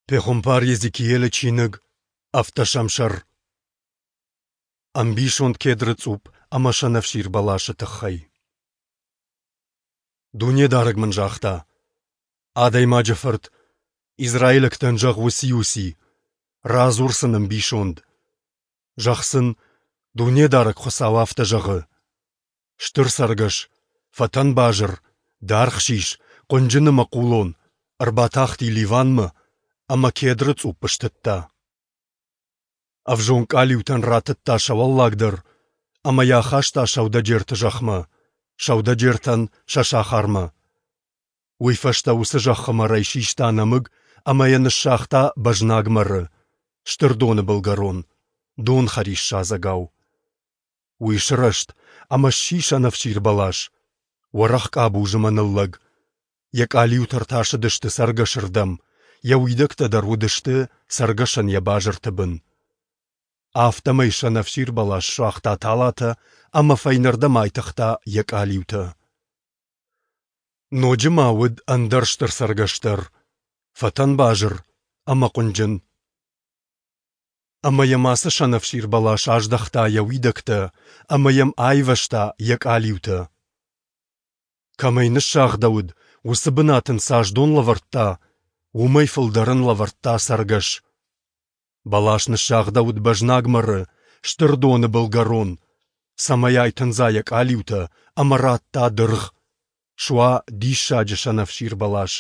Пехуымпар Йезекиелы чиныг, ӕвддӕсӕм сӕр. Ӕмбисонд кедры цъупп ӕмӕ сӕнӕфсир бӕласы тыххӕй. Дунедарӕг мын загъта: Адӕймаджы фырт, израилӕгтӕн зӕгъ уыци-уыци, радзур сын ӕмбисонд. Зӕгъ сын, Дунедарӕг Хуыцау афтӕ зӕгъы: Стыр цӕргӕс, фӕтӕн базыр, даргъ сис, хъуынджын ӕмӕ хъулон, ӕрбатахти Ливанмӕ ӕмӕ кедры цъупп стыдта. Ӕвзонг къалиутӕн ратыдта сӕ уӕллаг дӕр ӕмӕ йӕ ахаста сӕудӕджерты зӕхмӕ, сӕудӕджертӕн сӕ сахармӕ. Уый фӕстӕ уыцы зӕххы мӕрӕй систа нӕмыг ӕмӕ йӕ ныссагъта бӕзнаг мӕры, стыр доны былгӕрон, донхӕрис садзӕгау. Уый сырӕзт ӕмӕ сси сӕнӕфсир бӕлас, уӕрӕх къабуз ӕмӕ ныллӕг. Йӕ къалиутӕ ӕртасыдысты цӕргӕсырдӕм, йӕ уидӕгтӕ дӕр уыдысты цӕргӕсӕн йӕ базырты бын. Афтӕмӕй сӕнӕфсир бӕлас суагъта талатӕ ӕмӕ фӕйнӕрдӕм айтыгъта йӕ къалиутӕ. Ноджы ма уыд ӕндӕр стыр цӕргӕс дӕр, фӕтӕнбазыр ӕмӕ хъуынджын. Ӕмӕ йӕм ацы сӕнӕфсир бӕлас аздӕхта йӕ уидӕгтӕ ӕмӕ йӕм айвӕзта йӕ къалиутӕ. Кӕмӕй ныссагъдӕуыд, уыцы бынат ын цас дон лӕвӕрдта, уымӕй фылдӕр ын лӕвӕрдта цӕргӕс. Бӕлас ныссагъдӕуыд бӕзнаг мӕры, стыр доны былгӕрон, цӕмӕй айтындза йӕ къалиутӕ ӕмӕ радта дыргъ, суа диссаджы сӕнӕфсир бӕлас.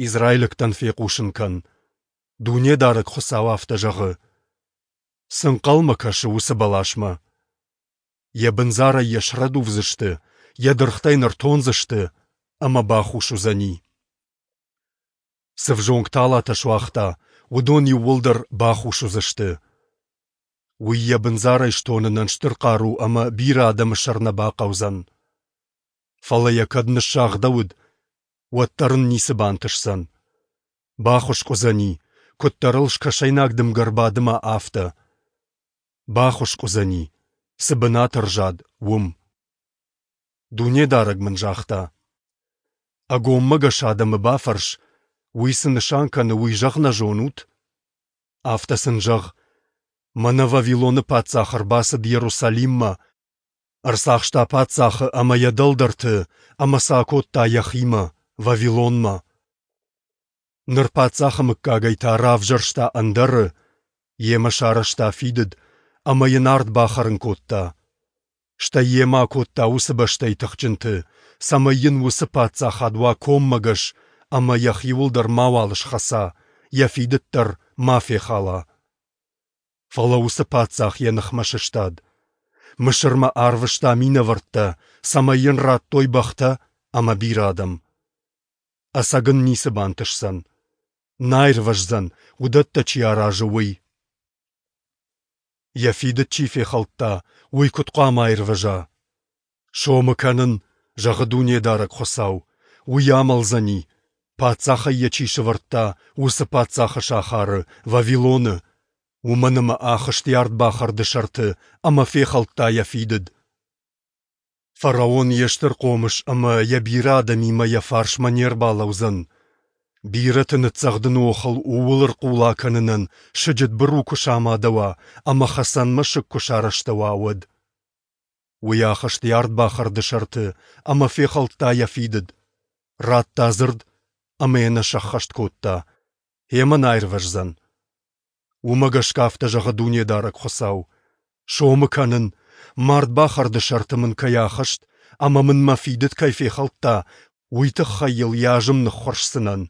Израилӕгтӕн фехъусын кӕн, Дунедарӕг Хуыцау афтӕ зӕгъы: Цы нхъӕлмӕ кӕсы уыцы бӕласмӕ? Йӕ бындзарӕй йӕ срӕдувдзысты, йӕ дыргътӕ йын ӕртондзысты, ӕмӕ бахус уыдзӕни. Цы взонг талатӕ суагъта, уыдон иууылдӕр бахус уыдзысты. Уый йӕ бындзарӕй стонынӕн стыр хъару ӕмӕ бирӕ адӕмы сӕр нӕ бахъӕудзӕн. Фӕлӕ йӕ кӕд ныссагъдӕуыд, уӕддӕр ын ницы бантысдзӕн. Бахуыскъ уыдзӕни, куыддӕр ыл скӕсӕйнаг дымгӕ ӕрбадыма, афтӕ. Бахуыскъ уыдзӕни, цы бынат ӕрзад, уым. Дунедарӕг мын загъта: Ӕгоммӕгӕс адӕмы бафӕрс, уый цы нысан кӕны, уый зӕгъ нӕ зонут? Афтӕ сын зӕгъ: Мӕнӕ Вавилоны паддзах ӕрбацыд Иерусалиммӕ, ӕрцахста паддзахы ӕмӕ йӕ дӕлдӕрты ӕмӕ сӕ акодта йӕхимӕ, Вавилонмӕ. Ныр паддзахы мыггагӕй та равзӕрста ӕндӕры, йемӕ сарӕзта фидыд ӕмӕ йын ард бахӕрын кодта. Стӕй йемӕ акодта уыцы бӕстӕйы тыхджынты, цӕмӕй йын уыцы паддзахад уа коммӕгӕс ӕмӕ йӕхиуыл дӕр мауал схӕца, йӕ фидыд дӕр ма фехала. Фӕлӕ уыцы паддзах йӕ ныхмӕ сыстад. Мысырмӕ арвыста минӕвӕрттӕ, цӕмӕй йын радтой бӕхтӕ ӕмӕ бирӕ адӕм. Ӕцӕг ын ницы бантысдзӕн. Нӕ аирвӕздзӕн, уыдӕттӕ чи аразы, уый. Йӕ фидыд чи фехӕлдта, уый куыд хъуамӕ аирвӕза? Сомы кӕнын, зӕгъы Дунедарӕг Хуыцау, уый амӕлдзӕни, паддзахӕй йӕ чи сӕвӕрдта, уыцы паддзахы сахары, Вавилоны, уымӕн ӕмӕ ахызт йӕ ардбахӕрды сӕрты ӕмӕ фехӕлдта йӕ фидыд. Фараон йе стыр хъомыс ӕмӕ йӕ бирӕ адӕмимӕ йӕ фарсмӕ не рбалӕудзӕн. Бирӕты ныццӕгъдыны охыл ууыл ӕрхъула кӕнынӕн сыджыт быру куы самадӕуа ӕмӕ хӕцӕн мӕсыг куы сарӕзтӕуа, уӕд. Уый ахызт йӕ ардбахӕрды сӕрты ӕмӕ фехӕлдта йӕ фидыд, радта дзырд ӕмӕ йӕ нӕ сӕххӕст кодта, йемӕ нӕ аирвӕздзӕн. Уымӕ гӕсгӕ афтӕ зӕгъы Дунедарӕг Хуыцау: Сомы кӕнын, мардбахӕрды сӕрты мын кӕй ахызт ӕмӕ мын мӕ фидыд кӕй фехӕлдта, уый тыххӕй йыл йӕ азым ныххуырсдзынӕн.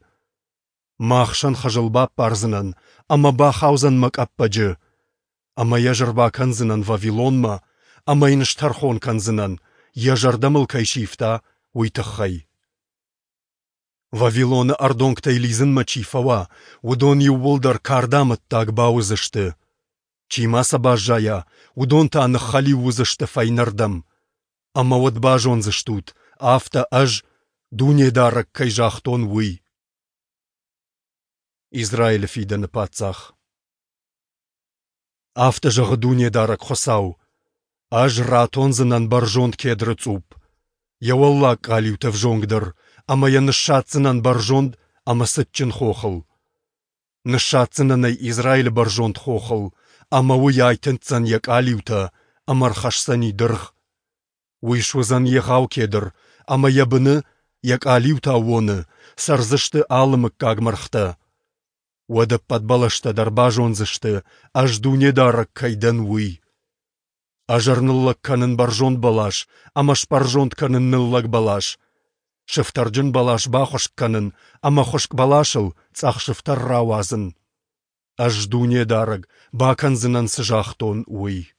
Мӕ ахсӕн хызыл баппардзынӕн ӕмӕ бахаудзӕн мӕ къӕппӕджы. Ӕмӕ йӕ ӕз ӕрбакӕндзынӕн Вавилонмӕ ӕмӕ йын стӕрхон кӕндзынӕн, йӕ зӕрдӕ мыл кӕй сивта, уый тыххӕй. Вавилоны ӕрдонгтӕй лидзынмӕ чи фӕуа, уыдон иууылдӕр кардамӕттаг бауыдзысты. Чи ма сӕ баззайа, уыдон та ныххӕлиу уыдзысты фӕйнӕрдӕм. Ӕмӕ уӕд базондзыстут, афтӕ Ӕз, Дунедарӕг, кӕй загътон, уый. Израилы фидӕны паддзах. Афтӕ зӕгъы Дунедарӕг Хуыцау: Ӕз ратондзынӕн бӕрзонд кедры цъупп, йӕ уӕллаг къалиутӕ ӕвзонгдӕр, ӕмӕ йӕ ныссадздзынӕн бӕрзонд ӕмӕ цытджын хохыл. Ныссадздзынӕн ӕй Израилы бӕрзонд хохыл, ӕмӕ уый айтындздзӕн йӕ къалиутӕ ӕмӕ ӕрхӕсдзӕни дыргъ. Уый суыдзӕн егъау кедр, ӕмӕ йӕ быны, йӕ къалиуты аууоны, цӕрдзысты алы мыггаг мӕргътӕ. Уӕд ӕппӕт бӕлӕстӕ дӕр базондзысты, Ӕз Дунедарӕг кӕй дӕн, уый. Ӕз ӕрныллӕг кӕнын бӕрзонд бӕлас ӕмӕ сбӕрзонд кӕнын ныллӕг бӕлас. Сыфтӕрджын бӕлас бахуыскъ кӕнын ӕмӕ хуыскъ бӕласыл цъӕх сыфтӕр рауадзын. Ӕз, Дунедарӕг, бакӕндзынӕн, цы загътон, уый.